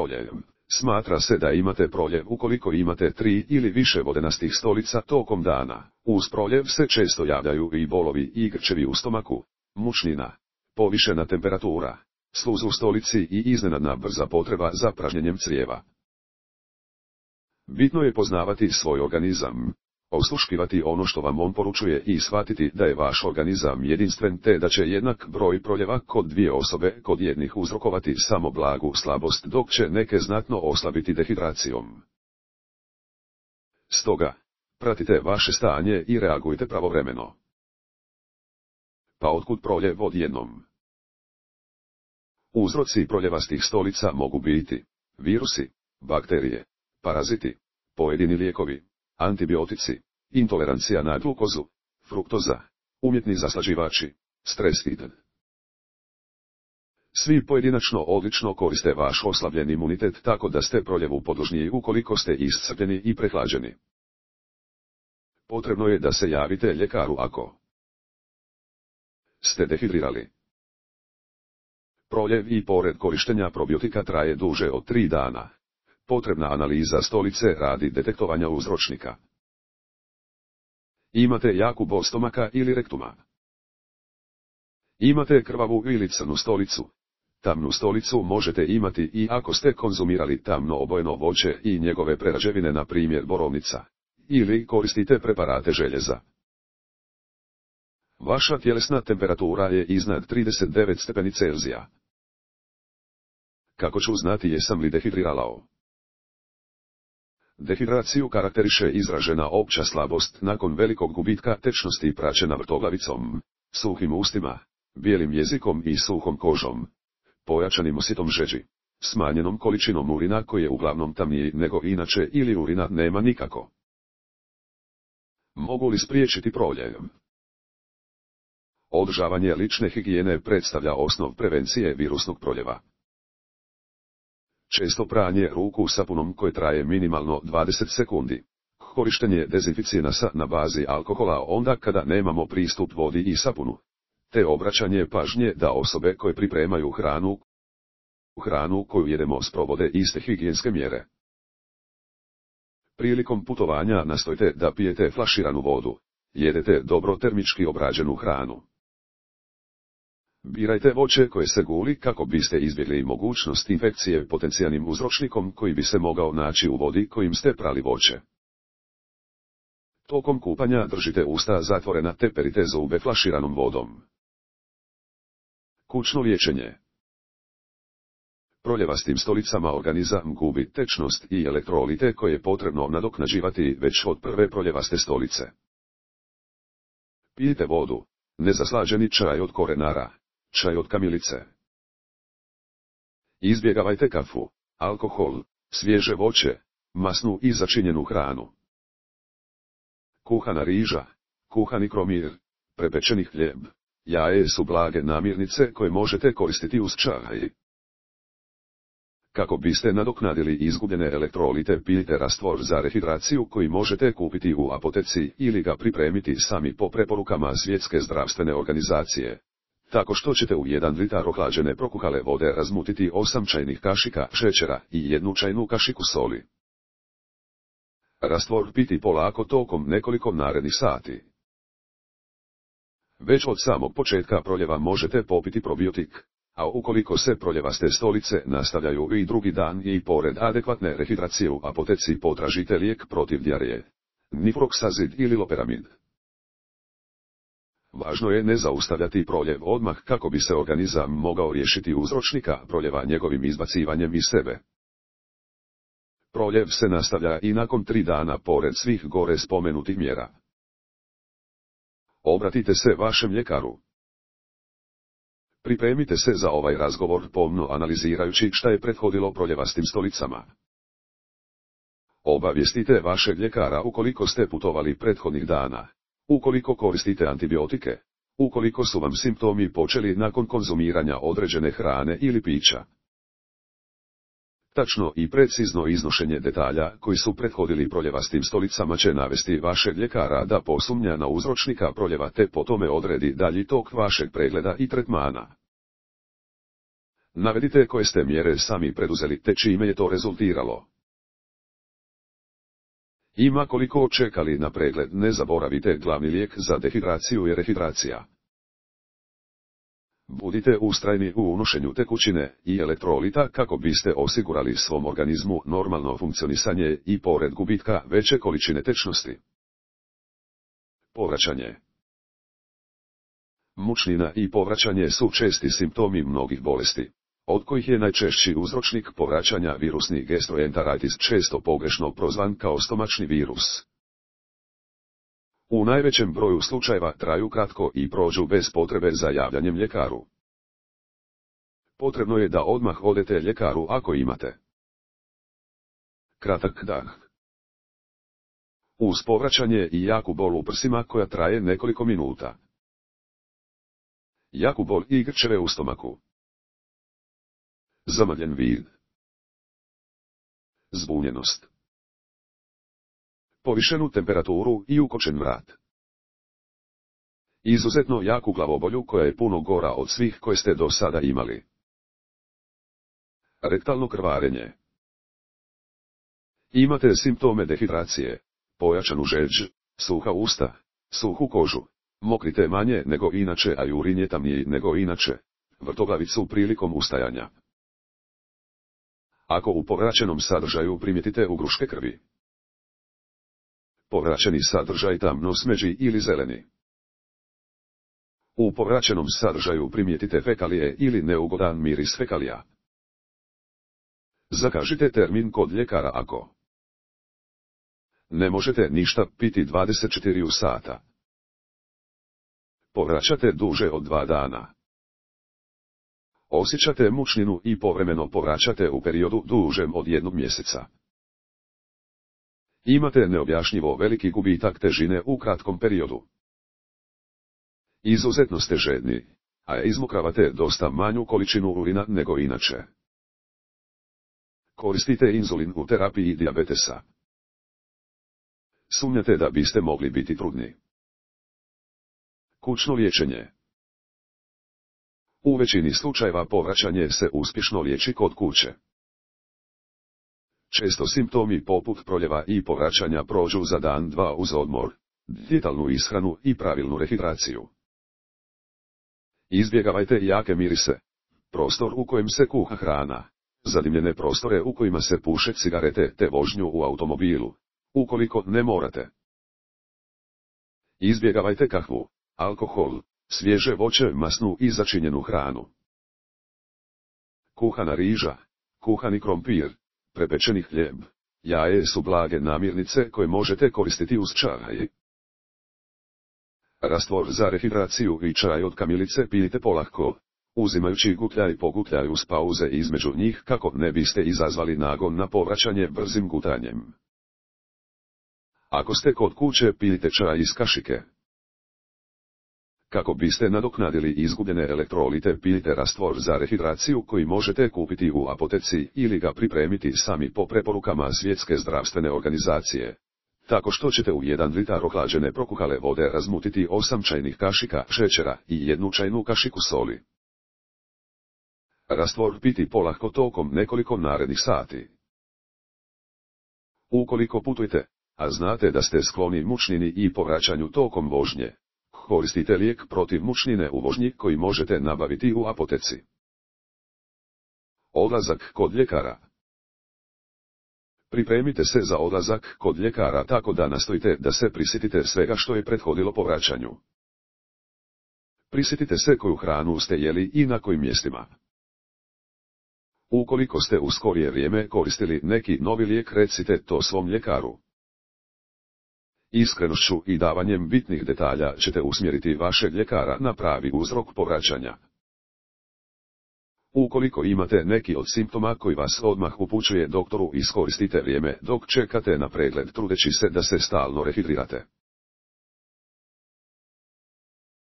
proljev. Smatra se da imate proljev ukoliko imate 3 ili više vodenastih stolica tokom dana. Uz proljev se često javljaju i bolovi i grčevi u stomaku, mučnina, povišena temperatura, sluz u stolici i iznenadna brza potreba za pražnjenjem crijeva. Bitno je poznavati svoj organizam, osluškivati ono što vam on poručuje i shvatiti da je vaš organizam jedinstven te da će jednak broj proljeva kod dvije osobe kod jednih uzrokovati samo blagu slabost dok će neke znatno oslabiti dehidracijom. Stoga, pratite vaše stanje i reagujte pravovremeno. Pa otkud proljev odjednom? Uzroci proljevastih stolica mogu biti virusi, bakterije, paraziti, pojedini lijekovi, antibiotici, intolerancija na glukozu, fruktoza, umjetni zaslađivači, stres itd. Svi pojedinačno odlično koriste vaš oslabljen imunitet tako da ste proljevu podložniji ukoliko ste iscrpljeni i prehlađeni. Potrebno je da se javite ljekaru ako ste dehidrirali. Proljev i pored korištenja probiotika traje duže od 3 dana. Potrebna analiza stolice radi detektovanja uzročnika. Imate jaku bol stomaka ili rektuma. Imate krvavu ili crnu stolicu. Tamnu stolicu možete imati i ako ste konzumirali tamno obojeno voće i njegove prerađevine, na primjer borovnica, ili koristite preparate željeza. Vaša tjelesna temperatura je iznad 39 stepeni Celzija. Kako ću znati jesam li dehidriralao? Dehidraciju karakteriše izražena opća slabost nakon velikog gubitka tečnosti praćena vrtoglavicom, suhim ustima, bijelim jezikom i suhom kožom, pojačanim osjetom žeđi, smanjenom količinom urina koji je uglavnom tamniji nego inače ili urina nema nikako. Mogu li spriječiti proljev? Održavanje lične higijene predstavlja osnov prevencije virusnog proljeva. Često pranje ruku sapunom koje traje minimalno 20 sekundi. Korištenje dezinficijenasa na bazi alkohola onda kada nemamo pristup vodi i sapunu. Te obraćanje pažnje da osobe koje pripremaju hranu koju jedemo sprovode iste higijenske mjere. Prilikom putovanja nastojte da pijete flaširanu vodu. Jedete dobro termički obrađenu hranu. Birajte voće koje se guli kako biste izbjegli mogućnost infekcije potencijalnim uzročnikom koji bi se mogao naći u vodi kojim ste prali voće. Tokom kupanja držite usta zatvorena te perite zube flaširanom vodom. Kućno liječenje. Proljevastim stolicama organizam gubi tečnost i elektrolite koje je potrebno nadoknađivati već od prve proljevaste stolice. Pijte vodu, nezaslađeni čaj od korenara, čaj od kamilice. Izbjegavajte kafu, alkohol, svježe voće, masnu i začinjenu hranu. Kuhana riža, kuhani kromir, prepečeni hljeb, jaje su blage namirnice koje možete koristiti uz čaj. Kako biste nadoknadili izgubljene elektrolite, pijte rastvor za rehidraciju koji možete kupiti u apoteci ili ga pripremiti sami po preporukama Svjetske zdravstvene organizacije. Tako što ćete u 1 litar ohlađene prokuhale vode razmutiti 8 čajnih kašika šećera i 1 čajnu kašiku soli. Rastvor piti polako tokom nekoliko narednih sati. Već od samog početka proljeva možete popiti probiotik, a ukoliko se proljevaste stolice nastavljaju i drugi dan i pored adekvatne rehidracije u apoteci potražite lijek protiv dijareje, nifroksazid ili loperamid. Važno je ne zaustavljati proljev odmah kako bi se organizam mogao riješiti uzročnika proljeva njegovim izbacivanjem iz sebe. Proljev se nastavlja i nakon 3 dana pored svih gore spomenutih mjera. Obratite se vašem ljekaru. Pripremite se za ovaj razgovor pomno analizirajući šta je prethodilo proljevastim stolicama. Obavijestite vašeg ljekara ukoliko ste putovali prethodnih dana, ukoliko koristite antibiotike, ukoliko su vam simptomi počeli nakon konzumiranja određene hrane ili pića. Tačno i precizno iznošenje detalja koji su prethodili proljevastim stolicama će navesti vašeg ljekara da posumnja na uzročnika proljeva te po tome odredi dalji tok vašeg pregleda i tretmana. Navedite koje ste mjere sami preduzeli te čime je to rezultiralo. Ima koliko čekali na pregled, ne zaboravite, glavni lijek za dehidraciju je rehidracija. Budite ustrajni u unošenju tekućine i elektrolita kako biste osigurali svom organizmu normalno funkcionisanje i pored gubitka veće količine tečnosti. Povraćanje. Mučnina i povraćanje su česti simptomi mnogih bolesti, od kojih je najčešći uzročnik povraćanja virusni gastroenteritis, često pogrešno prozvan kao stomačni virus. U najvećem broju slučajeva traju kratko i prođu bez potrebe za javljanjem ljekaru. Potrebno je da odmah odete ljekaru ako imate kratak dah, uz povraćanje i jaku bol u prsima koja traje nekoliko minuta, jaku bol i grčeve u stomaku, zamrljen vid, zbunjenost, povišenu temperaturu i ukočen vrat. Izuzetno jaku glavobolju koja je puno gora od svih koje ste do sada imali. Rektalno krvarenje. Imate simptome dehidracije, pojačanu žeđ, suha usta, suhu kožu, mokrite manje nego inače, a urinje tamnije nego inače, vrtoglavicu prilikom ustajanja. Ako u povraćenom sadržaju primijetite ugruške krvi, povraćeni sadržaj tamno smeđi ili zeleni. U povraćenom sadržaju primijetite fekalije ili neugodan miris fekalija, zakažite termin kod ljekara ako ne možete ništa piti 24 sata. Povraćate duže od 2 dana. Osjećate mučninu i povremeno povraćate u periodu dužem od 1 mjeseca. Imate neobjašnjivo veliki gubitak težine u kratkom periodu. Izuzetno ste žedni, a izmokravate dosta manju količinu urina nego inače. Koristite inzulin u terapiji dijabetesa. Sumnjate da biste mogli biti trudni. Kućno liječenje. U većini slučajeva povraćanje se uspješno liječi kod kuće. Često simptomi poput proljeva i povraćanja prođu za dan, 2 uz odmor, dijetalnu ishranu i pravilnu rehidraciju. Izbjegavajte jake mirise, prostor u kojem se kuha hrana, zadimljene prostore u kojima se puše cigarete te vožnju u automobilu, ukoliko ne morate. Izbjegavajte kahvu, alkohol, svježe voće, masnu i začinjenu hranu. Kuhana riža, kuhani krompir, prepečeni hljeb, jaje su blage namirnice koje možete koristiti uz čaj. Rastvor za rehidraciju i čaj od kamilice pijte polako, uzimajući gutljaj po gutljaj uz pauze između njih kako ne biste izazvali nagon na povraćanje brzim gutanjem. Ako ste kod kuće pijte čaj iz kašike. Kako biste nadoknadili izgubljene elektrolite pijte rastvor za rehidraciju koji možete kupiti u apoteci ili ga pripremiti sami po preporukama Svjetske zdravstvene organizacije. Tako što ćete u 1 litar ohlađene prokuhale vode razmutiti 8 čajnih kašika šećera i 1 čajnu kašiku soli. Rastvor piti polako tokom nekoliko narednih sati. Ukoliko putujete, a znate da ste skloni mučnini i povraćanju tokom vožnje, koristite lijek protiv mučnine u vožnji koji možete nabaviti u apoteci. Odlazak kod ljekara. Pripremite se za odlazak kod ljekara tako da nastojite da se prisjetite svega što je prethodilo povraćanju. Prisjetite se koju hranu ste jeli i na kojim mjestima. Ukoliko ste u skorije vrijeme koristili neki novi lijek, recite to svom ljekaru. Iskrenošću i davanjem bitnih detalja ćete usmjeriti vašeg ljekara na pravi uzrok povraćanja. Ukoliko imate neki od simptoma koji vas odmah upućuje doktoru, iskoristite vrijeme dok čekate na pregled trudeći se da se stalno rehidrirate.